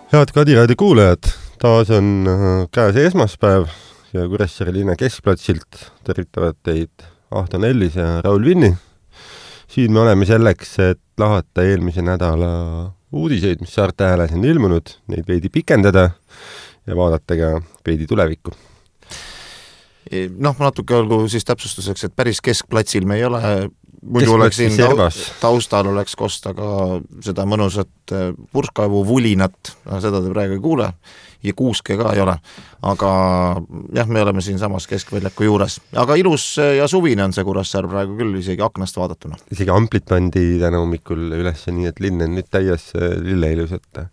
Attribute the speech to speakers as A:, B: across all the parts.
A: Head Kadiraadio kuulajad, taas on käes esmaspäev ja Kuressaare linna keskplatsilt tervitavad teid Ahto Nellis ja Raul Vinni. Siin me oleme selleks, et lahata eelmise nädala uudiseid, mis Saarte Hääles on ilmunud, neid veidi pikendada ja vaadata ka veidi tulevikku.
B: Natuke olgu siis täpsustuseks, et päris keskplatsil me ei ole, muidu oleks siin taustal oleks kosta ka seda mõnusat purskkaevu vulinat, seda te praegu ei kuule ja kuuske ka ei ole, aga jah, me oleme siin samas keskväljaku juures, aga ilus ja suvine on see Kuressaare praegu küll isegi aknast vaadatuna.
A: Isegi amplit pandi täna hommikul üles nii, et linn on nüüd täies lilleilusat.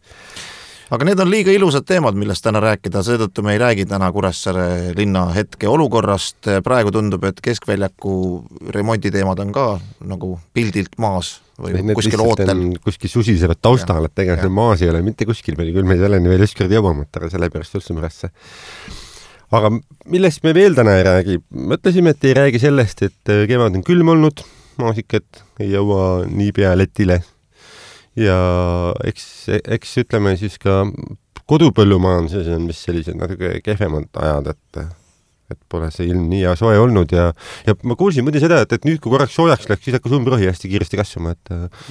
B: Aga need on liiga ilusad teemad, millest täna rääkida, seetõttu me ei räägi täna Kuressaare linna hetke olukorrast. Praegu tundub, et keskväljaku remonditeemad on ka nagu pildilt maas või kuskil ootel.
A: Kuskil susisevad taustal, et tegelikult maas ei ole mitte kuskil meil, küll me ei ole nii veel ükskord jõuamat, aga sellepärast üldse müresse. Aga millest me veel täna ei räägi? Mõtlesime, et ei räägi sellest, et kevad on külm olnud, maasikad ei jõua nii pea letile. Ja eks ütleme siis ka kodupõllumajanduses on vist sellised natuke kehvemad ajad, et pole see ilm nii ja soe olnud ja ma kuulsin muidu seda, et nüüd kui korraks soojaks läks, siis hakkas umbrohi hästi kiiresti kasvama.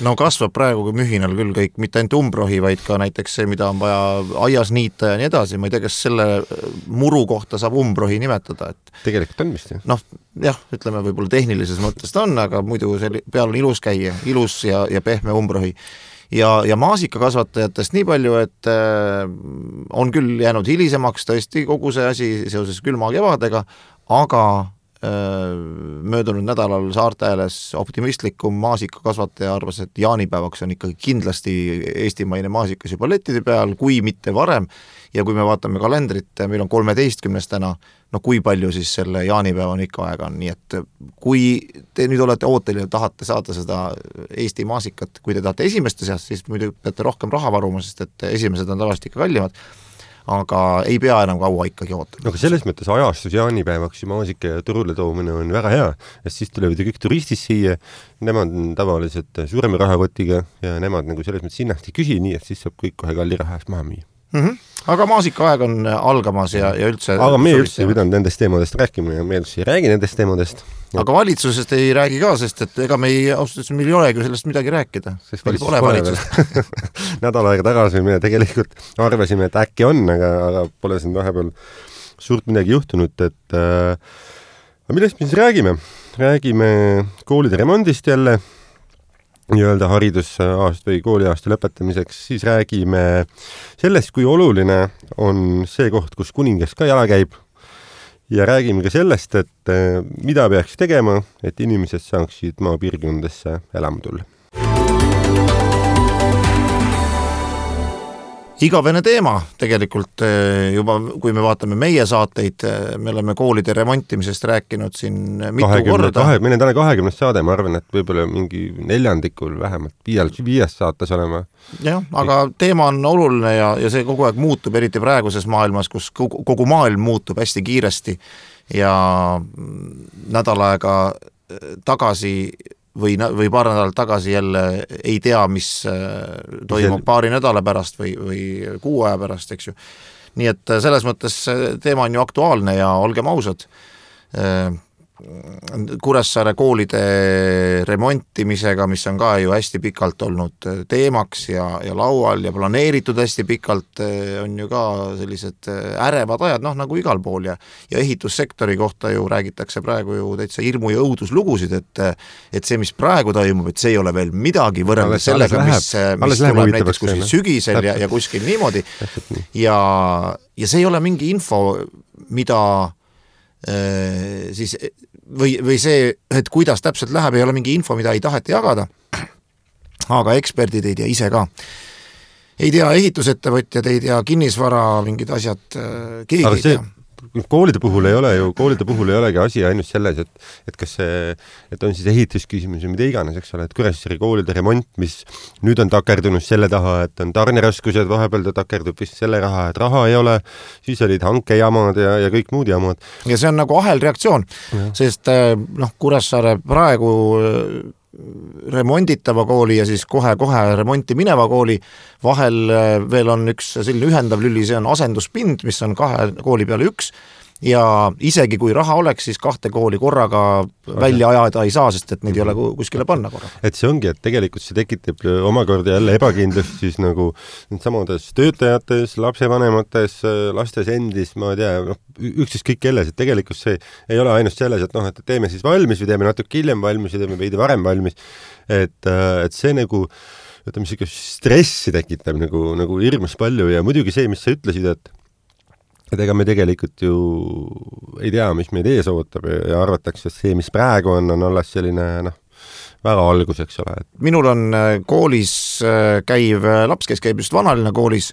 B: No kasvab praegu mühinal küll kõik, mitte ainult umbrohi, vaid ka näiteks see, mida on vaja aias niita ja nii edasi. Ma ei tea, kas selle muru kohta saab umbrohi nimetada.
A: Tegelikult on vist.
B: Jah, ütleme võib-olla tehnilises mõttes ta on, aga muidu peal on ilus käia, ilus ja pehme umbrohi. Ja maasikakasvatajatest nii palju, et on küll jäänud hilisemaks tõesti kogu see asi seoses külma kevadega, aga möödunud nädalal Saarte Hääles optimistlikum maasikakasvataja arvas, et jaanipäevaks on ikkagi kindlasti eestimaine maasikas juba lettide peal, kui mitte varem. Ja kui me vaatame kalendrit, meil on 13. täna, kui palju siis selle jaanipäeva on ikka aega on. Nii et kui te nüüd olete ootel ja tahate saada seda Eesti maasikat, kui te tahate esimeste seast, siis muidu peate rohkem raha varuma, sest et esimesed on tavaliselt ikka kallimad, aga ei pea enam kaua ikkagi ootama.
A: Aga selles mõttes ajastus jaanipäevaks ja maasika ja turule toomine on väga hea, sest siis tulevad ju kõik turistid siia, nemad on tavaliselt suurema rahakotiga ja nemad nagu selles mõttes hinnast ei küsi nii, et siis saab kõik kohe kalli raha eest maha müüa.
B: Aga maasikaaeg on algamas ja üldse...
A: Aga me üldse ei pidanud nendest teemadest rääkima ja me üldse ei räägi nendest teemadest.
B: Aga valitsusest ei räägi ka, sest et ega meil ei olegi sellest midagi rääkida.
A: Sest valitsus. Nädal aega tagasi me tegelikult arvasime, et äkki on, aga pole siin vahepeal suurt midagi juhtunud. Millest me siis räägime? Räägime koolide remondist jälle, nii-öelda haridusaasta või kooliaasta lõpetamiseks, siis räägime sellest, kui oluline on see koht, kus kuningas ka jala käib ja räägime ka sellest, et mida peaks tegema, et inimesed saaksid maapiirkondadesse elama tulla.
B: Igavene teema tegelikult juba, kui me vaatame meie saateid, me oleme koolide remontimisest rääkinud siin mitu korda.
A: Meil on täna 20 saade, ma arvan, et võib-olla mingi 4. vähemalt 5 saates olema.
B: Jah, aga teema on oluline ja see kogu aeg muutub, eriti praeguses maailmas, kus kogu maailm muutub hästi kiiresti ja nädal aega tagasi või paar nädalat tagasi jälle ei tea, mis toimub paari nädala pärast või kuu aja pärast, eks ju. Nii et selles mõttes teema on ju aktuaalne ja olgem ausad. Kuressaare koolide remontimisega, mis on ka ju hästi pikalt olnud teemaks ja laual ja planeeritud hästi pikalt, on ju ka sellised ärevad ajad, nagu igal pool ja ehitussektori kohta ju räägitakse praegu ju täitsa hirmu ja õuduslugusid, et see, mis praegu toimub, et see ei ole veel midagi võrreldes sellega, mis tuleb näiteks kuskil sügisel ja kuskil niimoodi ja see ei ole mingi info, mida siis või see, et kuidas täpselt läheb, ei ole mingi info, mida ei taheta jagada, aga eksperdid ei tea ise ka. Ei tea ehitusettevõtjad, ei tea kinnisvara, mingid asjad, keegi ei tea.
A: Koolide puhul ei olegi asi ainult selles, et kas see, et on siis ehitusküsimus ja mida iganes, eks ole, et Kuressaare koolide remont, mis nüüd on takerdunud selle taha, et on tarneraskused, vahepeal ta takerdub vist selle raha, et raha ei ole, siis olid hankejamad ja kõik muud jamad.
B: Ja see on nagu ahelreaktsioon, sest Kuressaare praegu remonditava kooli ja siis kohe remonti mineva kooli vahel veel on üks selline ühendav lüli, see on asenduspind, mis on 2 kooli peale 1 ja isegi kui raha oleks, siis 2 kooli korraga välja ajada ei saa, sest et neid ei ole kuskile panna korraga.
A: Et see ongi, et tegelikult see tekitab omakorda jälle ebakindlust siis nagu samades töötajates, lapsevanemates, lastes endis, ma ei tea, ükskõik kelles, et tegelikult see ei ole ainult selles, et et teeme siis valmis või teeme natuke hiljem valmis või teeme veidi varem valmis, et see nagu ütleme, stressi tekitab nagu hirmus palju ja muidugi see, mis sa ütlesid, et ega me tegelikult ju ei tea, mis meid ees ootab ja arvatakse, et see, mis praegu on alles selline väga algus, eks ole.
B: Minul on koolis käiv laps, kes käib just Vanalinna koolis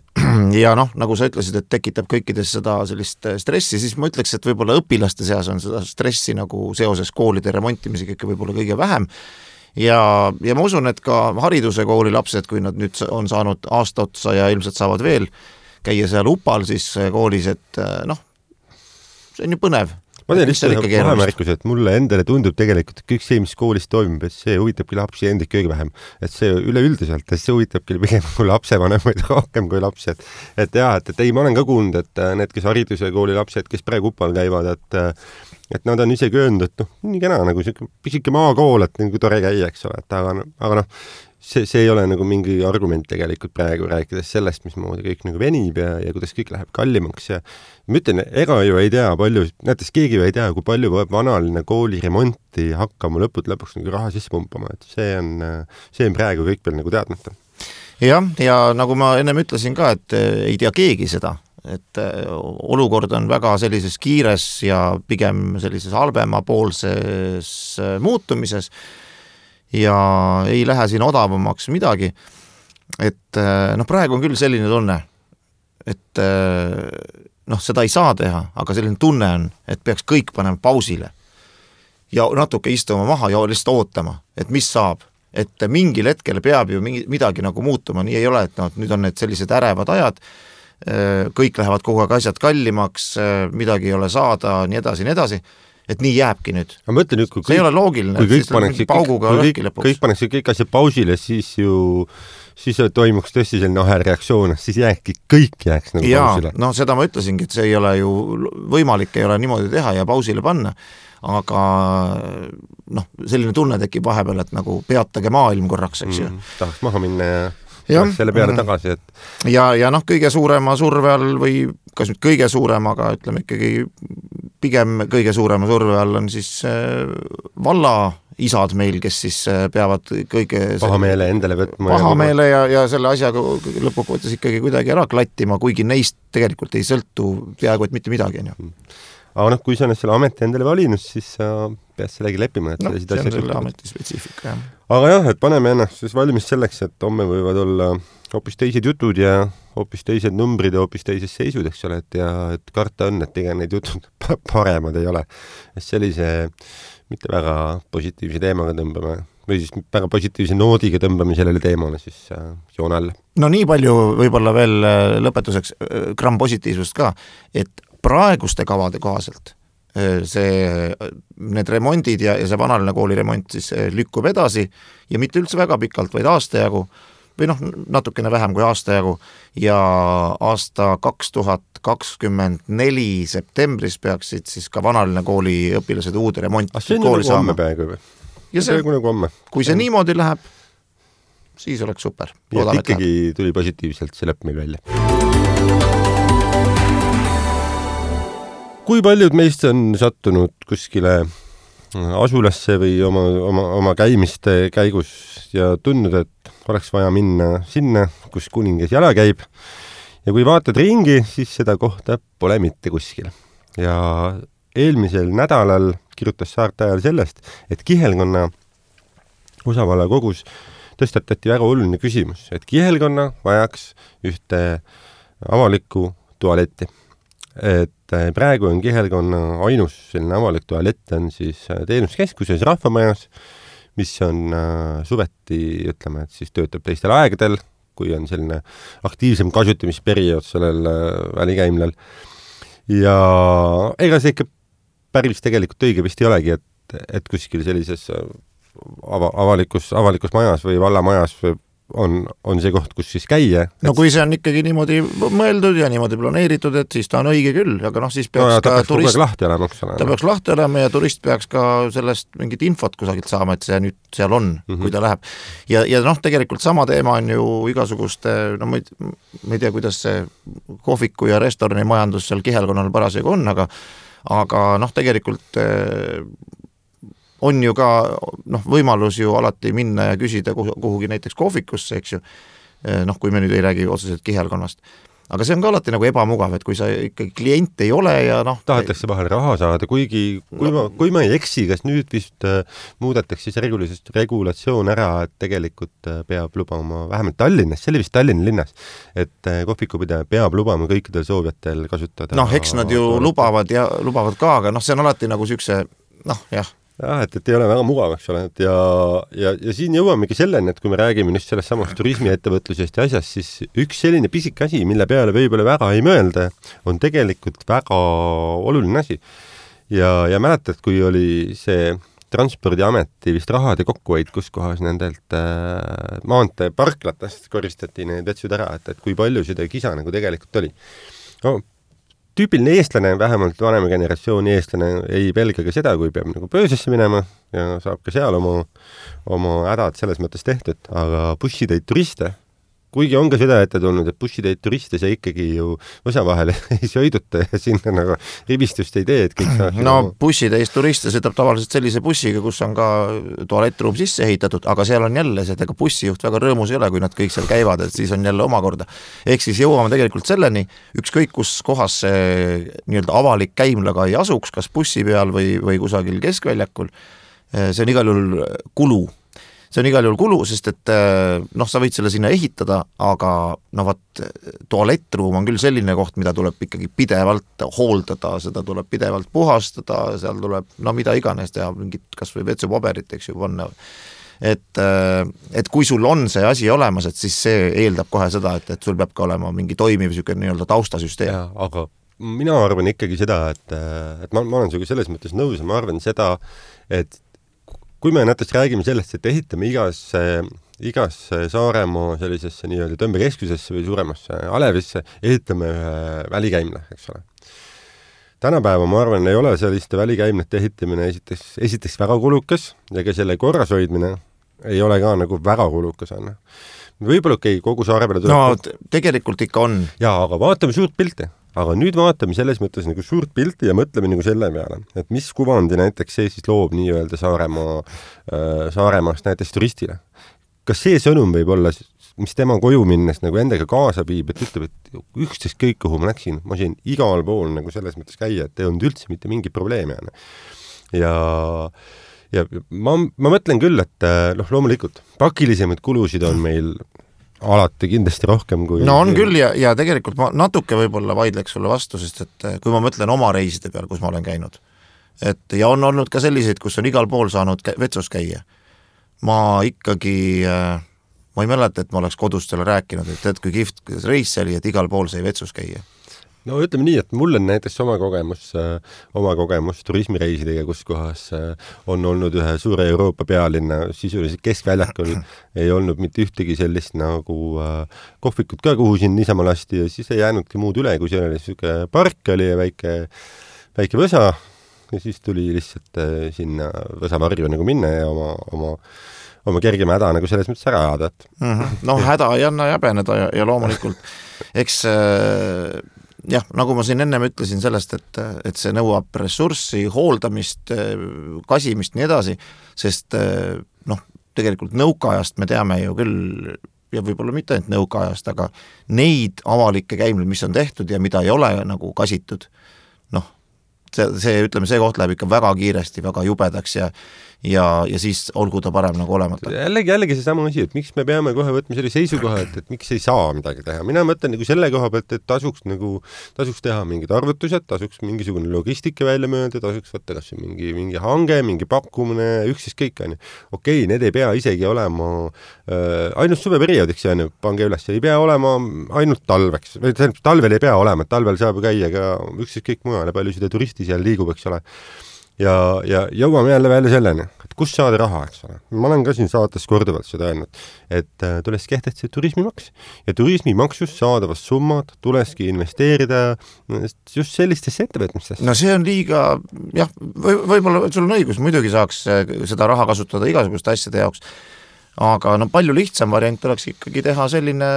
B: ja nagu sa ütlesid, et tekitab kõikides seda sellist stressi, siis ma ütleks, et võib-olla õpilaste seas on seda stressi nagu seoses koolide remontimisega ikka võib-olla kõige vähem. Ja ma usun, et ka hariduse kooli lapsed, kui nad nüüd on saanud aasta otsa ja ilmselt saavad veel käia seal upal siis koolis, et see on ju põnev.
A: Ma teen lihtsalt vahemärkuse, et mulle endale tundub tegelikult, et kõik see, mis koolis toimub, et see huvitabki lapsi endid kõige vähem. Et see üleüldiselt, et see huvitabki pigem kui lapsevanemaid rohkem kui lapsi. Et ei, ma olen ka kuulnud, et need, kes hariduse kooli lapsed, kes praegu upal käivad, et nad on isegi öelnud, et nii kena, nagu pisike maakool, et nagu tore käia, eks ole, aga see ei ole nagu mingi argument tegelikult praegu rääkides sellest, mismoodi kõik nagu venib ja kuidas kõik läheb kallimaks ja ma ütlen, ega ju ei tea palju, näiteks keegi ju ei tea, kui palju peab Vanalinna kooli remonti hakkama lõpuks nagu raha sisse pumpama, et see on praegu kõik veel nagu teadmata.
B: Ja nagu ma ennem ütlesin ka, et ei tea keegi seda, et olukord on väga sellises kiires ja pigem sellises halvemapoolses muutumises ja ei lähe siin odavamaks midagi, et praegu on küll selline tunne, et seda ei saa teha, aga selline tunne on, et peaks kõik panema pausile ja natuke istuma maha ja lihtsalt ootama, et mis saab, et mingil hetkel peab ju midagi nagu muutuma, nii ei ole, et nüüd on need sellised ärevad ajad, kõik lähevad kogu aeg asjad kallimaks, midagi ei ole saada, nii edasi, et nii jääbki nüüd.
A: Mõtlen,
B: see ei ole loogiline,
A: kõik paneks kõik asja pausile, siis toimuks tõesti selline ahelreaktsioon, siis kõik jääks nagu pausile.
B: Seda ma ütlesingi, et see ei ole ju võimalik, ei ole niimoodi teha ja pausile panna, aga selline tunne tekib vahepeal, et nagu peatage maailm korraks, eks ju.
A: Tahaks maha minna ja selle peale tagasi, et
B: ja kõige suurema surve all või kas nüüd kõige suurem, aga ütleme ikkagi pigem kõige suurema surve all on siis valla isad meil, kes siis peavad kõige
A: pahameele endale võtma
B: pahameele ja selle asjaga lõpuks ikkagi kuidagi ära klattima, kuigi neist tegelikult ei sõltu peaaegu et mitte midagi.
A: Aga kui sa selle ameti endale valinud, siis sa pead sellegi leppima, et
B: see on selle ameti spetsiifika, jah.
A: Aga jah, et paneme ennast siis valmis selleks, et homme võivad olla hoopis teised jutud ja hoopis teised numbrid ja hoopis teised seisud, eks ole, et karta on, et ega need jutud paremad ei ole. Sellise mitte väga positiivse teemaga tõmbame või siis väga positiivse noodiga tõmbame sellele teemale siis joone alla.
B: Nii palju võib-olla veel lõpetuseks gramm positiivsust ka, et praeguste kavade kohaselt need remondid ja see Vanalinna kooli remont siis lükkub edasi ja mitte üldse väga pikalt, vaid aasta jagu või natukene vähem kui aasta jagu ja aasta 2024 septembris peaksid siis ka Vanalinna kooli õpilased uude remonti kooli saama. Ja see, kui see niimoodi läheb, siis oleks super.
A: Ja ikkagi tuli positiivselt see lõpp meil välja. Kui paljud meist on sattunud kuskile asulasse või oma käimiste käigus ja tundnud, et oleks vaja minna sinna, kus kuningas jala käib. Ja kui vaatad ringi, siis seda kohta pole mitte kuskil. Ja eelmisel nädalal kirjutas Saarte Ajal sellest, et Kihelkonna osavalla kogus tõstatati väga oluline küsimus, et Kihelkonna vajaks ühte avalikku tualetti. Et praegu on Kihelkonna ainus selline avalik tualett on siis teenuskeskuses Rahvamajas, mis on suveti, ütleme, et siis töötab teistel aegadel, kui on selline aktiivsem kasutamisperiood sellel välikäimlal. Ja ega see ikka päris tegelikult õige vist ei olegi, et kuskil sellises avalikus majas või vallamajas on see koht, kus siis käia.
B: No kui see on ikkagi niimoodi mõeldud ja niimoodi planeeritud, et siis ta on õige küll, aga siis peaks
A: ta peaks lahti olema,
B: ta peaks lahti olema ja turist peaks ka sellest mingit infot kusagilt saama, et see nüüd seal on, kui ta läheb. Ja tegelikult sama teema on ju igasuguste, ma ei tea, kuidas see kohviku ja restorani majandus seal Kihelkonnal parasjagu on, aga tegelikult on ju ka võimalus ju alati minna ja küsida kuhugi näiteks kohvikusse, eks ju, kui me nüüd ei räägi otseselt Kihelkonnast. Aga see on ka alati nagu ebamugav, et kui sa ikkagi klient ei ole ja
A: tahetakse vahel raha saada, kuigi kui ma ei eksi, kas nüüd vist muudetakse siis regulatsioon ära, et tegelikult peab lubama, vähemalt Tallinnas, see oli vist Tallinna linnas, et kohvikupidaja peab lubama kõikidel soovijatel kasutada.
B: Eks nad ju lubavad ka, aga see on alati nagu siukse,
A: et ei ole väga mugav, eks ole, ja siin jõuamegi selleni, et kui me räägime nüüd sellest samast turismiettevõtlusest ja asjast, siis üks selline pisik asi, mille peale võib-olla väga ei mõelda, on tegelikult väga oluline asi. Ja mäletad, kui oli see Transpordiameti vist rahade kokkuhoid, kus kohas nendelt maanteeparklatest koristati need vetsud ära, et kui palju seda kisa nagu tegelikult oli. Tüüpiline eestlane, vähemalt vanema generatsiooni eestlane ei pelga ka seda, kui peab nagu pöösesse minema ja saab ka seal oma hädad selles mõttes tehtud, aga bussitäid turiste, kuigi on ka seda ette tulnud, et bussitäid turiste see ikkagi ju osa vahel ei sõiduta ja sinna nagu ribistust ei tee, et kõik saaks
B: bussitäis turiste sõidab tavaliselt sellise bussiga, kus on ka tualettruum sisse ehitatud, aga seal on jälle see, et ega bussijuht väga rõõmus ei ole, kui nad kõik seal käivad, et siis on jälle omakorda. Ehk siis jõuame tegelikult selleni, ükskõik kus kohas see nii-öelda avalik käimlaga ei asuks, kas bussi peal või kusagil keskväljakul, see on igal juhul kulu. See on igal juhul kulu, sest et sa võid selle sinna ehitada, aga tualettruum on küll selline koht, mida tuleb ikkagi pidevalt hooldada, seda tuleb pidevalt puhastada, seal tuleb mida iganes teha, mingit kas või vetsupaberit, eks ju, panna. Et kui sul on see asi olemas, et siis see eeldab kohe seda, et sul peab ka olema mingi toimiv nii-öelda taustasüsteem.
A: Ja, aga mina arvan ikkagi seda, et ma olen sinuga selles mõttes nõus ja ma arvan seda, et kui me näiteks räägime sellest, et ehitame igas Saaremaa sellisesse nii-öelda tõmbekeskusesse või suuremasse Alevisse, ehitame ühe välikäimla, eks ole. Tänapäeva, ma arvan, ei ole selliste välikäimlate ehitamine esiteks väga kulukas ja ka selle korras hoidmine ei ole ka nagu väga kulukas. Võib-olla kogu saare peale
B: tuleb... tegelikult ikka on.
A: Jaa, aga vaatame suurt pilti. Aga nüüd vaatame selles mõttes nagu suurt pilti ja mõtleme nagu selle peale, et mis kuvandi näiteks see siis loob nii-öelda Saaremaast näiteks turistile. Kas see sõnum võib olla, mis tema koju minnes nagu endaga kaasa viib, et ütleb, et üksteist kõik, kuhu ma läksin, ma sain igal pool nagu selles mõttes käia, et ei olnud üldse mitte mingi probleemi. Ja ma mõtlen küll, et loomulikult pakilisemad kulusid on meil alati kindlasti rohkem kui...
B: on küll ja tegelikult ma natuke võib-olla vaidleks sulle vastu, sest et kui ma mõtlen oma reiside peal, kus ma olen käinud, ja on olnud ka selliseid, kus on igal pool saanud vetsus käia. Ma ikkagi, ma ei mäleta, et ma oleks kodust selle rääkinud, et kui kihvt reis see oli, et igal pool sai vetsus käia.
A: No ütleme nii, et mul on näiteks oma kogemus turismireisidega, kus kohas on olnud ühe suure Euroopa pealinna sisuliselt keskväljakul, ei olnud mitte ühtegi sellist nagu kohvikut ka, kuhu siin niisama lasti ja siis ei jäänudki muud üle, kui see oli selline park oli ja väike võsa ja siis tuli lihtsalt sinna võsavarju nagu minna ja oma kergema häda nagu selles mõttes ära ajada.
B: Häda ei anna jäbeneda ja loomulikult eks jah, nagu ma siin ennem ütlesin sellest, et see nõuab ressurssi, hooldamist, kasimist nii edasi, sest tegelikult nõukaajast me teame ju küll, ja võib-olla mitte ainult nõukaajast, aga neid avalikke käimleid, mis on tehtud ja mida ei ole nagu kasitud, see koht läheb ikka väga kiiresti, väga jubedaks ja siis olgu ta parem nagu olemata.
A: Jällegi see sama asi, et miks me peame kohe võtma selle seisukoha, et miks ei saa midagi teha. Mina mõtlen nagu selle koha pealt, et tasuks teha mingid arvutused, tasuks mingisugune logistika välja mööda, tasuks võtta kas mingi hange, mingi pakkumine, üksis kõik on. Okei, need ei pea isegi olema ainult suveperioodiks, pange üles, ei pea olema ainult talveks, või talvel ei pea olema, et talvel saab käia ka üksis kõik mujale, palju seda turisti seal liigub, eks ole. Ja jõuame jälle välja selleni, et kus saada raha, eks ole. Ma olen ka siin saates korduvalt seda öelnud, et tuleks kehtestada turismimaks ja turismimaksust saadavast summad tuleski investeerida just sellistesse ettevõtmistesse.
B: No see on liiga, jah, võib-olla sul on õigus, muidugi saaks seda raha kasutada igasuguste asjade jaoks, aga no palju lihtsam variant oleks ikkagi teha selline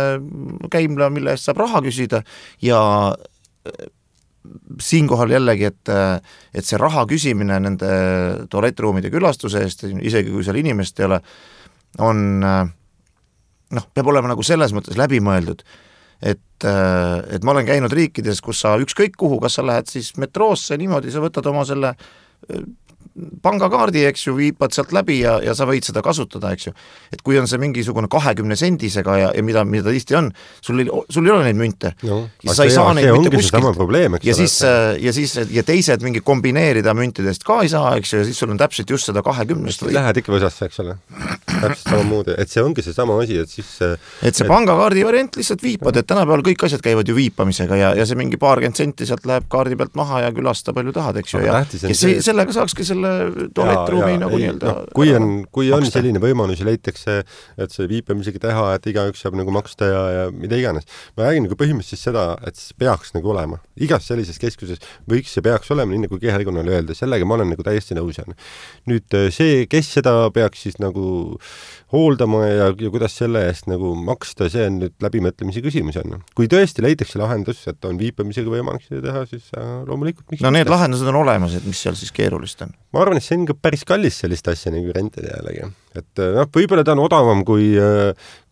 B: käimla, mille eest saab raha küsida ja siinkohal jällegi, et see raha küsimine nende tualettruumide külastuse eest, isegi kui seal inimest ei ole, on peab olema nagu selles mõttes läbimõeldud, et ma olen käinud riikides, kus sa ükskõik kuhu, kas sa lähed siis metroosse, niimoodi sa võtad oma selle pangakaardi, eks ju, viipad sealt läbi ja sa võid seda kasutada, eks ju. Et kui on see mingisugune 20 sendisega ja mida tihti on, sul ei ole neid münte.
A: No,
B: ja sa ei saa neid mitte kuskilt.
A: Probleem,
B: ja teised mingi kombineerida müntidest ka ei saa, eks ju, ja siis sul on täpselt just seda 20.
A: Lähed ikka võsasse, eks ole. Täpselt samamoodi, et see ongi see sama asi, et siis
B: et see pangakaardi variant lihtsalt viipad, et tänapäeval kõik asjad käivad ju viipamisega ja see mingi paarkümmend senti sealt läheb kaardi pealt maha ja külasta palju tahad, eks ju, ja sellega saakski selle tualettruumi nagu nii-öelda.
A: Kui on selline võimalus ja leitakse, et see viipamisega teha, et igaüks saab nagu maksta ja mida iganes. Ma räägin nagu põhimõtteliselt seda, et see peaks nagu olema. Igas sellises keskuses võiks see peaks olema, nii nagu kehalikonnale öelda, sellega ma olen nagu täiesti nõus. Nüüd see, kes seda peaks siis nagu hooldama ja kuidas selle eest nagu maksta, see on nüüd läbimõtlemise küsimus on. Kui tõesti leitakse lahendus, et on viipamisega võimalik seda teha, siis loomulikult miks
B: no need lahendused on olemas, et mis seal siis keerulist on?
A: Ma arvan, et see on ka päris kallis sellist asja nagu rentida jällegi. Et võib-olla ta on odavam kui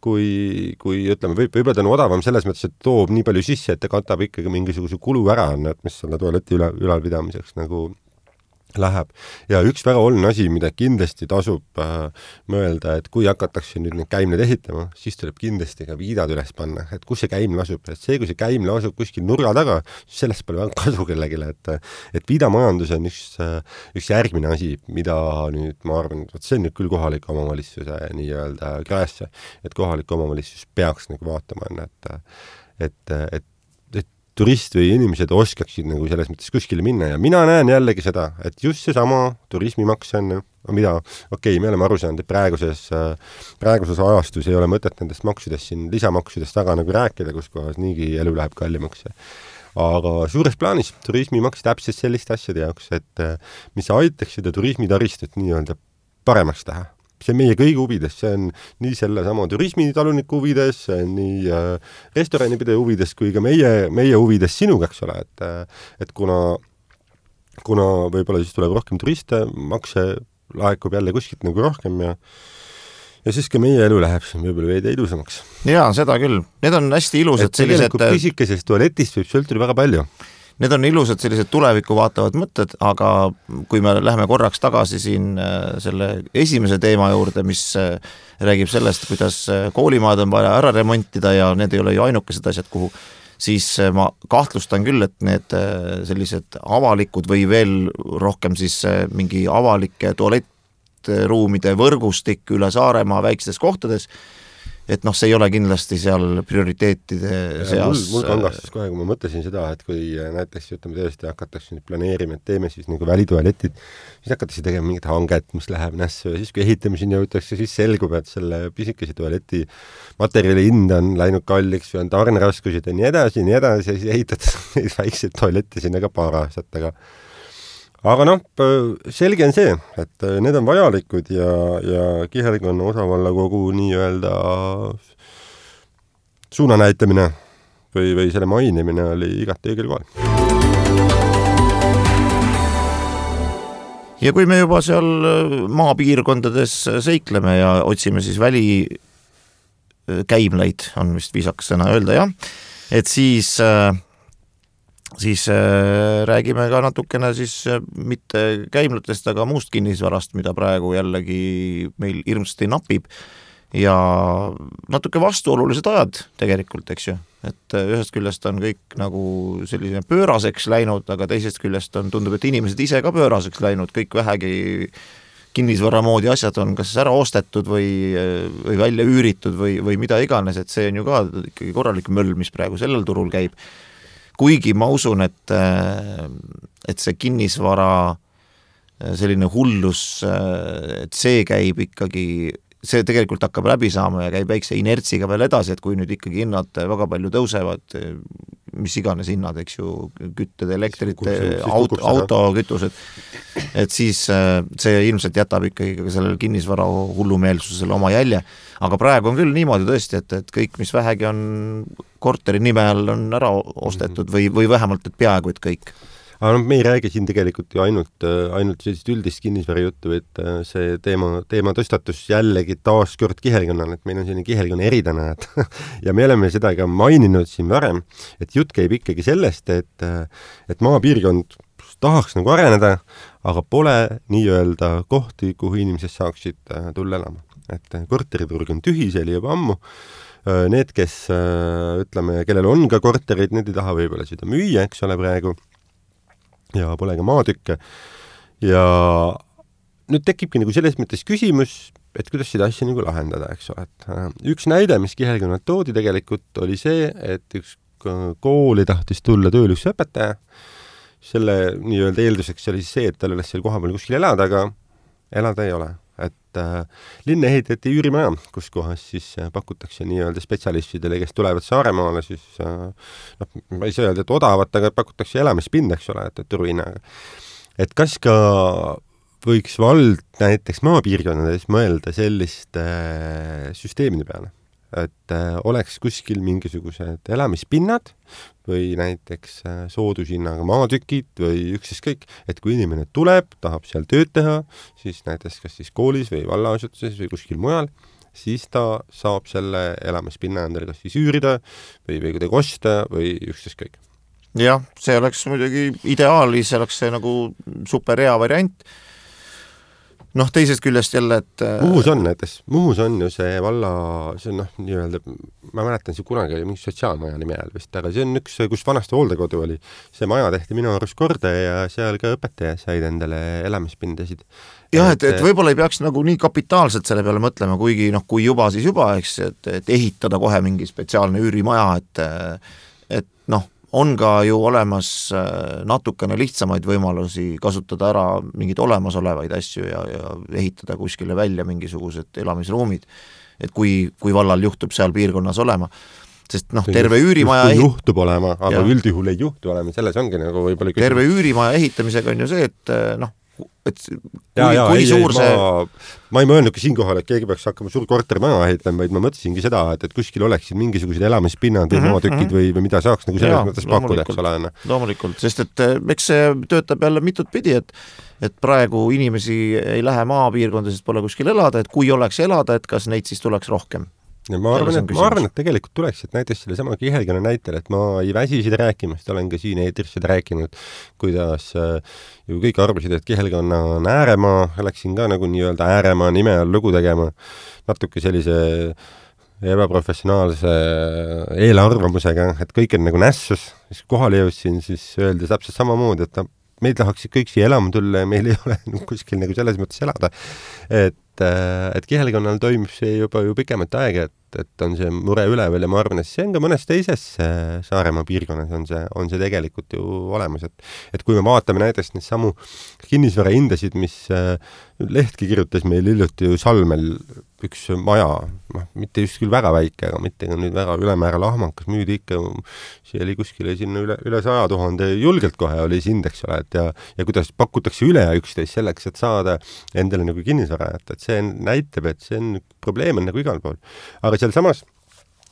A: ütleme, võib-olla ta on odavam selles mõttes, et toob nii palju sisse, et ta katab ikkagi mingisuguse kulu ära, et mis selle tualeti ülalpidamiseks nagu läheb. Ja üks väga oluline asi, mida kindlasti tasub mõelda, et kui hakatakse nüüd need käimlad ehitama, siis tuleb kindlasti ka viidad üles panna, et kus see käimla asub. Et see, kui see käimla asub kuskil nurga taga, siis sellest pole väga kasu kellegile, et viidamajandus on üks järgmine asi, mida nüüd, ma arvan, et see on nüüd küll kohaliku omavalitsuse nii-öelda käesse, et kohalik omavalitsus peaks nagu vaatama, et turist või inimesed oskaksid nagu selles mõttes kuskile minna ja mina näen jällegi seda, et just see sama turismimaks on, mida, me oleme aru saanud, et praeguses ajastus ei ole mõtet nendest maksudest siin lisamaksudest taga nagu rääkida, kus kohas niigi elu läheb kallimaks. Aga suures plaanis turismimaks täpselt selliste asjade jaoks, et mis aitaks seda turismitaristut nii-öelda paremaks teha. See on meie kõigi huvides, see on nii selle sama turismitaluniku huvides, see on nii restoranipidaja huvides kui ka meie huvides sinuga, eks ole, et kuna võib-olla siis tuleb rohkem turiste, makse laekub jälle kuskilt nagu rohkem ja siis ka meie elu läheb siin võib-olla veidi ilusamaks.
B: Jaa, seda küll. Need on hästi ilusad sellised...
A: Tegelikult pisikesest tualetist võib sõltuda väga palju.
B: Need on ilusad sellised tulevikku vaatavad mõtted, aga kui me läheme korraks tagasi siin selle esimese teema juurde, mis räägib sellest, kuidas koolimaad on vaja ära remontida ja need ei ole ju ainukesed asjad, kuhu, siis ma kahtlustan küll, et need sellised avalikud või veel rohkem siis mingi avalike tualettruumide võrgustik üle Saaremaa väikestes kohtades, et see ei ole kindlasti seal prioriteetide seas.
A: Mul kangastas kohe, kui ma mõtlesin seda, et kui näiteks tõesti hakatakse nüüd planeerima, et teeme siis nagu välitualetid, siis hakatakse tegema mingit hanget, mis läheb nässu ja siis kui ehitamiseni jõutakse, siis selgub, et selle pisikese tualeti materjali hind on läinud kalliks või on tarneraskused ja nii edasi ja siis ehitatakse neid väikseid tualette sinna ka paar aastat, aga selge on see, et need on vajalikud ja Kihelikonna osavallakogu nii-öelda suunanäitamine või selle mainimine oli igati õigel kohal.
B: Ja kui me juba seal maapiirkondades seikleme ja otsime siis välikäimleid, on vist viisakas sõna öelda, jah, et siis räägime ka natukene siis mitte käimlatest, aga muust kinnisvarast, mida praegu jällegi meil hirmsasti napib ja natuke vastuolulised ajad tegelikult, eks ju, et ühest küljest on kõik nagu selline pööraseks läinud, aga teisest küljest tundub, et inimesed ise ka pööraseks läinud, kõik vähegi kinnisvara moodi asjad on kas ära ostetud või välja üüritud või mida iganes, et see on ju ka ikkagi korralik möll, mis praegu sellel turul käib. Kuigi ma usun, et see kinnisvara selline hullus, et see käib ikkagi, see tegelikult hakkab läbi saama ja käib väikse inertsiga veel edasi, et kui nüüd ikkagi hinnad väga palju tõusevad, mis iganes hinnad, eks ju, kütted, elektrid, autokütused, et siis see ilmselt jätab ikkagi ka sellele kinnisvara hullumeelsusele oma jälje. Aga praegu on küll niimoodi tõesti, et kõik, mis vähegi on korteri nime all, on ära ostetud või vähemalt, et peaaegu, et kõik.
A: Aga me ei räägi siin tegelikult ju ainult sellist üldist kinnisvara juttu, et see teema tõstatus jällegi taas kord kihelkonnal, et meil on selline kihelkonna eridana, ja me oleme seda ka maininud siin varem, et jutt käib ikkagi sellest, et maapiirkond tahaks nagu areneda, aga pole nii-öelda kohti, kuhu inimesed saaksid tulla elama. Et korteriturg on tühi, see oli juba ammu. Need, kes, ütleme, kellel on ka korterid, need ei taha võib-olla seda müüa, eks ole praegu, ja pole ka maatükke. Ja nüüd tekibki nagu selles mõttes küsimus, et kuidas seda asja nagu lahendada, eks ole. Et üks näide, mis kihelkonnalt toodi tegelikult, oli see, et üks kooli tahtis tulla tööl üks õpetaja. Selle nii-öelda eelduseks oli see, et tal oleks seal kohapeal kuskil elada, aga elada ei ole. Et linna ehitati üürimaja, kus kohas siis pakutakse nii-öelda spetsialistidele, kes tulevad Saaremaale, siis ma ei saa öelda, et odavat, aga pakutakse elamispinda, eks ole, et turuhinnaga. Et kas ka võiks vald näiteks maapiirkonnades mõelda selliste süsteemide peale? Et oleks kuskil mingisugused elamispinnad või näiteks soodushinnaga maatükid või ükskõik, et kui inimene tuleb, tahab seal tööd teha, siis näiteks kas siis koolis või vallaasutuses või kuskil mujal, siis ta saab selle elamispinna endale kas siis üürida või kuidagi osta või ükskõik.
B: Jah, see oleks muidugi ideaalis, see oleks see nagu super hea variant. Teisest küljest jälle, et
A: Muhus on ju see valla, see on nii-öelda, ma mäletan, see kunagi oli mingi sotsiaalmaja nime all vist, aga see on üks, kus vanasti hooldekodu oli. See maja tehti minu arust korda ja seal ka õpetaja said endale elamispindasid.
B: Jah, et võib-olla ei peaks nagu nii kapitaalselt selle peale mõtlema, kuigi kui juba, siis juba, eks, et ehitada kohe mingi spetsiaalne üürimaja, et on ka ju olemas natukene lihtsamaid võimalusi kasutada ära mingeid olemasolevaid asju ja ehitada kuskile välja mingisugused elamisruumid, et kui vallal juhtub seal piirkonnas olema. Sest terve üürimaja
A: juhtub olema, aga üldjuhul ei juhtu olema, selles ongi nagu võib-olla küsimus.
B: Terve üürimaja ehitamisega on ju see, et kui suur see...
A: Ma ei mõelnudki siinkohal, et keegi peaks hakkama suur korterimaja ehitama, vaid ma mõtlesingi seda, et kuskil oleksid mingisugused elamispinnad või maatükid või mida saaks nagu selles mõttes pakkuda, eks ole.
B: Loomulikult, sest et eks see töötab jälle mitut pidi, et praegu inimesi ei lähe maapiirkonda, sest pole kuskil elada, et kui oleks elada, et kas neid siis tuleks rohkem?
A: Ja ma arvan, et tegelikult tuleks, et näiteks selle sama kihelkonna näitel, et ma ei väsi seda rääkimast, olen ka siin eetris seda rääkinud, kuidas ju kõik arvasid, et kihelkonna on ääremaa, läksin ka nagu nii-öelda ääremaa nime all lugu tegema, natuke sellise ebaprofessionaalse eelarvamusega, et kõik on nagu nässus, siis kohale jõudsin, siis öeldi täpselt samamoodi, et meid tahaksid kõik siia elama tulla ja meil ei ole kuskil nagu selles mõttes elada. Et kihelkonnal toimub see juba ju pikemat aega, et on see mure üleval ja ma arvan, et see on ka mõnes teises Saaremaa piirkonnas on see tegelikult ju olemas, et kui me vaatame näiteks neid samu kinnisvara hindasid, mis Lehtki kirjutas meil hiljuti ju Salmel üks maja, mitte just küll väga väike, aga mitte ka nüüd väga ülemäära lahmakas, müüdi ikka, see oli kuskile sinna üle 100 000 julgelt kohe oli see indeks, et ja kuidas pakutakse üle 11 selleks, et saada endale nagu kinnisvara, et see näitab, et see on probleem on nagu igal pool. Aga seal samas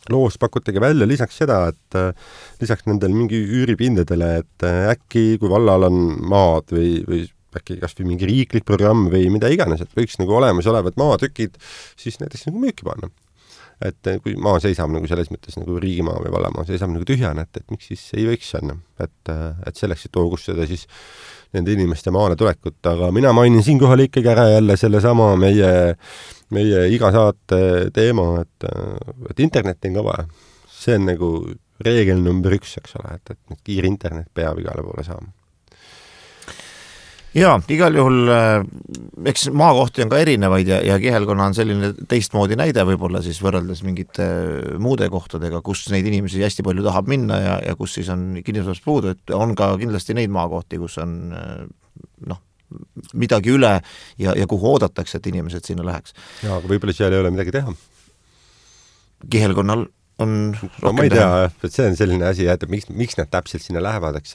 A: loos pakutagi välja lisaks seda, et lisaks nendele mingi üüripindadele, et äkki kui vallal on maad või äkki kas või mingi riiklik programm või mida iganes, et võiks nagu olemas olevad maatükid siis näiteks nagu müüki panna. Et kui maa seisab nagu selles mõttes nagu riigimaa või vallamaa seisab nagu tühjana, et miks siis ei võiks anda, et selleks, et hoogustada siis nende inimeste maale tulekut, aga mina mainin siinkohal ikkagi ära jälle selle sama meie iga saate teema, et internet on ka vaja. See on nagu reegel number 1, eks ole, et kiir internet peab igale poole saama.
B: Jaa, igal juhul, eks maakohti on ka erinevaid ja kihelkonna on selline teistmoodi näide võib-olla siis võrreldes mingite muude kohtadega, kus neid inimesi hästi palju tahab minna ja kus siis on kinnisvarast puudu, et on ka kindlasti neid maakohti, kus on midagi üle ja kuhu oodatakse, et inimesed sinna läheks.
A: Ja, aga võib-olla seal ei ole midagi teha.
B: Kihelkonnal on
A: no ma ei tea, et see on selline asi, et miks nad täpselt sinna lähevad, eks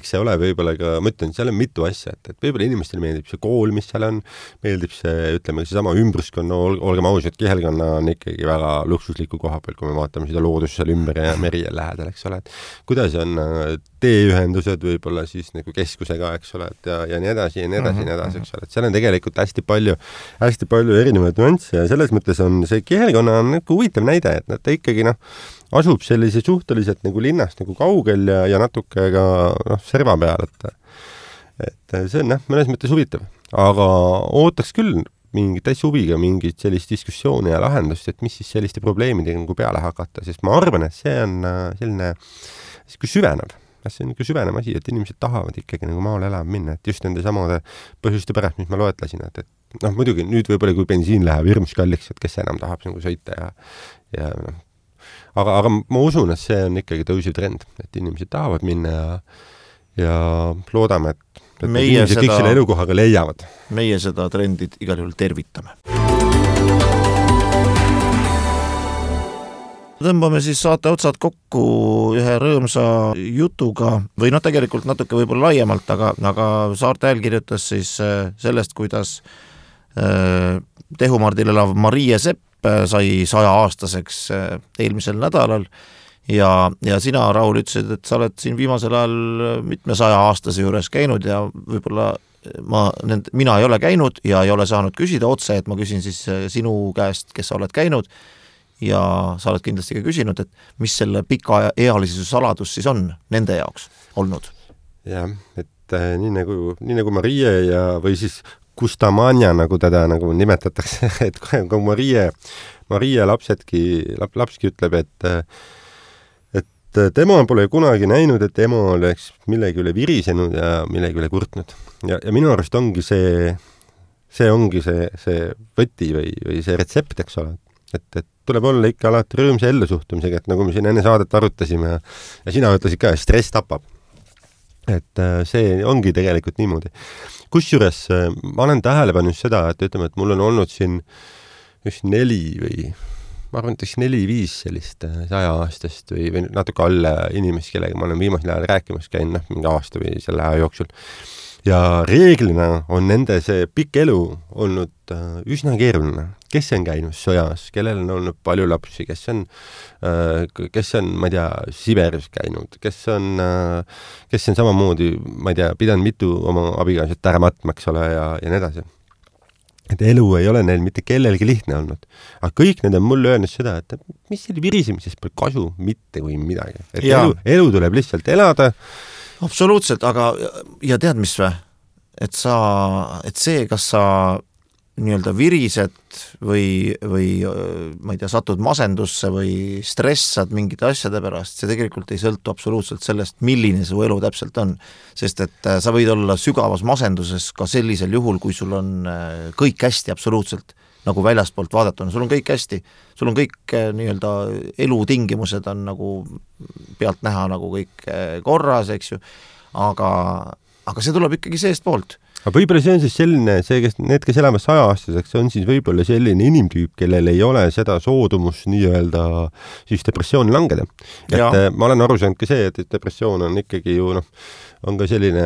A: see ole võib-olla ka, ma ütlen, seal on mitu asja, et võib-olla inimestele meeldib see kool, mis seal on, meeldib see, ütleme, see sama ümbruskonna, olgem ausad, Kihelkonna on ikkagi väga luksusliku koha peal, kui me vaatame seda loodust seal ümber ja meri lähedal, eks ole, et kuidas on teeühendused võib-olla siis nagu keskusega, eks ole, et ja nii edasi, ja nii edasi, ja nii edasi, eks ole, et seal on tegelikult hästi palju erinevaid nüansse ja selles mõttes on see Kihelkonna on nagu huvitav näide, et nad ikkagi asub sellise suhteliselt nagu linnast nagu kaugel ja natuke ka serva peal, et see on mõnes mõttes huvitav, aga ootaks küll mingit täitsa huviga mingit sellist diskussiooni ja lahendust, et mis siis selliste probleemidega nagu peale hakata, sest ma arvan, et see on selline süvenev. See on süvenev asi, et inimesed tahavad ikkagi nagu maale elama minna, et just nende samade põhjuste pärast, mis ma loetlesin, et muidugi nüüd võib-olla kui bensiin läheb hirmus kalliks, et kes enam tahab nagu sõita ja aga ma usun, et see on ikkagi tõusiv trend, et inimesed tahavad minna ja loodame, et inimesed kõik selle elukohaga leiavad.
B: Meie seda trendid igal juhul tervitame. Tõmbame siis saate otsad kokku ühe rõõmsa jutuga või tegelikult natuke võib-olla laiemalt, aga Saarte Hääl kirjutas siis sellest, kuidas Tehumardil elav Marie Sepp sai 100-aastaseks eelmisel nädalal ja sina, Raul, ütlesid, et sa oled siin viimasel ajal mitme 100-aastase juures käinud ja võib-olla mina ei ole käinud ja ei ole saanud küsida otse, et ma küsin siis sinu käest, kes sa oled käinud ja sa oled kindlasti ka küsinud, et mis selle pikaealisuse saladus siis on nende jaoks olnud?
A: Jah, et nii nagu Marie või siis Kustamania, nagu teda nagu nimetatakse, et kui Marie lapski ütleb, et tema pole kunagi näinud, et ema oleks millegi üle virisenud ja millegi üle kurtnud. Ja minu arust ongi see ongi see võti või see retsept, eks ole, et tuleb olla ikka alati rõõmsa ellusuhtumisega, et nagu me siin enne saadet arutasime ja sina ütlesid ka, stress tapab. Et see ongi tegelikult niimoodi. Kusjuures ma olen tähele pannud seda, et ütleme, et mul on olnud siin just 4-5 sellist 100-aastast või natuke alla inimest, kellega ma olen viimasel ajal rääkimas käinud, mingi aasta või selle aja jooksul. Ja reeglina on nende see pikk elu olnud üsna keeruline. Kes on käinud sõjas, kellel on olnud palju lapsi, kes on, ma ei tea, Siberis käinud, kes on samamoodi, ma ei tea, pidanud mitu oma abikaasat ära matma, eks ole, ja nii edasi. Et elu ei ole neil mitte kellelgi lihtne olnud. Aga kõik need on mulle öelnud seda, et mis selle virisemisest pole kasu mitte kui midagi. Et elu tuleb lihtsalt elada.
B: Absoluutselt, aga ja tead mis või? Et see, kas sa nii-öelda virised või ma ei tea, satud masendusse või stressad mingite asjade pärast, see tegelikult ei sõltu absoluutselt sellest, milline su elu täpselt on. Sest et sa võid olla sügavas masenduses ka sellisel juhul, kui sul on kõik hästi absoluutselt, nagu väljaspoolt vaadatuna, sul on kõik hästi, sul on kõik nii-öelda elutingimused on nagu pealt näha nagu kõik korras, eks ju, aga see tuleb ikkagi seest poolt.
A: Aga võib-olla see on siis selline, need, kes elavad 100-aastaseks, on siis võib-olla selline inimtüüp, kellel ei ole seda soodumus nii-öelda siis depressiooni langeda. Et ma olen aru saanud ka see, et depressioon on ikkagi ju on ka selline,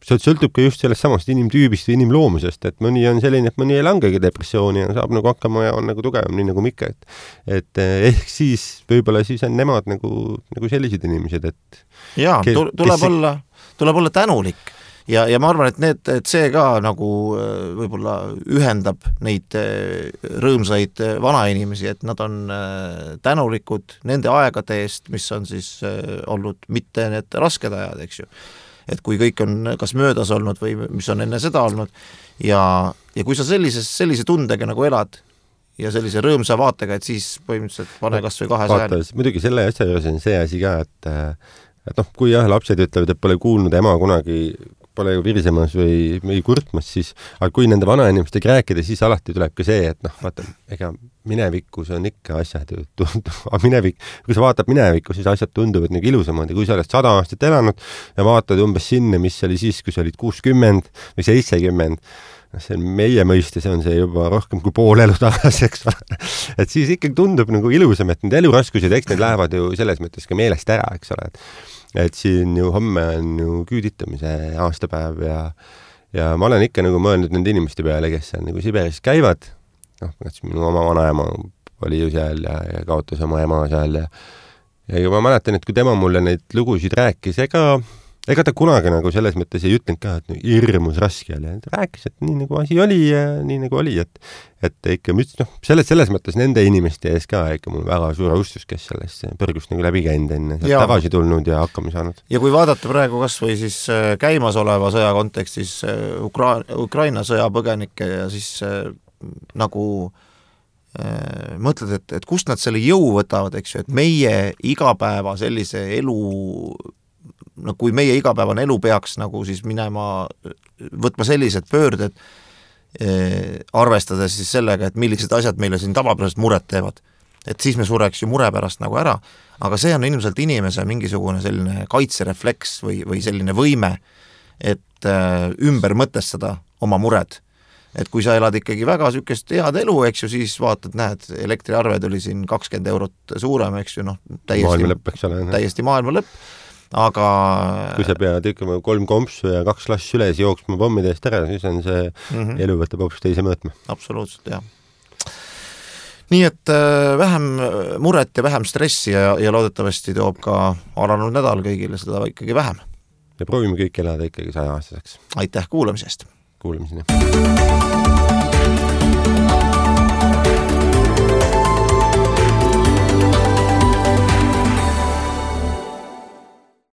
A: see sõltub ka just sellest samast inimtüübist või inimloomusest, et mõni on selline, et mõni ei langegi depressiooni ja saab nagu hakkama ja on nagu tugevam, nii nagu Mikke, et ehk siis võib-olla siis on nemad nagu sellised inimesed, et
B: tuleb olla tänulik ja ma arvan, et see ka nagu võib-olla ühendab neid rõõmsaid vanainimesi, et nad on tänulikud nende aegade eest, mis on siis olnud mitte need rasked ajad, eks ju. Et kui kõik on kas möödas olnud või mis on enne seda olnud ja kui sa sellise tundega nagu elad ja sellise rõõmsa vaatega, et siis põhimõtteliselt pane kas või 200.
A: Muidugi selle asja juures on see asi ka, et kui lapsed ütlevad, et pole kuulnud ema kunagi pole ju virisemas või kurtmas, siis, aga kui nende vanainimestega rääkida, siis alati tuleb ka see, et vaata, ega minevikus on ikka asjad ju kui sa vaatad minevikku, siis asjad tunduvad nagu ilusamad ja kui sa oled 100 aastat elanud ja vaatad umbes sinna, mis oli siis, kui sa olid 60 või 70, see on meie mõiste, see on see juba rohkem kui pool elu tagasi, eks ole. Et siis ikkagi tundub nagu ilusam, et need eluraskused, eks need lähevad ju selles mõttes ka meelest ära, eks ole. Et siin ju homme on ju küüditamise aastapäev ja ma olen ikka nagu mõelnud nende inimeste peale, kes seal nagu Siberis käivad. Minu oma vanaema oli ju seal ja kaotas oma ema seal ja ma mäletan, et kui tema mulle neid lugusid rääkis, ega ta kunagi nagu selles mõttes ei ütlenud ka, et hirmus raske oli. Ta rääkis, et nii nagu asi oli ja nii nagu oli, et ikka selles mõttes nende inimeste ees ka ikka mul väga suur austus, kes sellest põrgust nagu läbi käinud enne, tagasi tulnud ja hakkama saanud.
B: Ja kui vaadata praegu kas või siis käimasoleva sõja kontekstis Ukraina sõjapõgenikke ja siis nagu mõtled, et kust nad selle jõu võtavad, eks ju, et meie igapäeva sellise elu kui meie igapäevane elu peaks nagu siis minema, võtma sellised pöörded, arvestades siis sellega, et millised asjad meile siin tavapärast muret teevad. Et siis me sureks ju mure pärast nagu ära, aga see on ilmselt inimese mingisugune selline kaitserefleks või selline võime, et ümber mõtestada oma mured. Et kui sa elad ikkagi väga sükest head elu, eks ju, siis vaatad, näed, elektriarve tuli siin 20 eurot suurem, eks ju, täiesti maailma lõpp. Aga
A: kui sa pead ütlema 3 kompsu ja 2 lass üles jooksma pommide eest ära, siis on see elu võtab hoopis teise mõõtme.
B: Absoluutselt, jah. Nii et vähem muret ja vähem stressi ja loodetavasti toob ka alanud nädal kõigile seda ikkagi vähem.
A: Ja proovime kõik elada ikkagi 100 aastaseks.
B: Aitäh kuulamisest!
A: Kuulamiseni!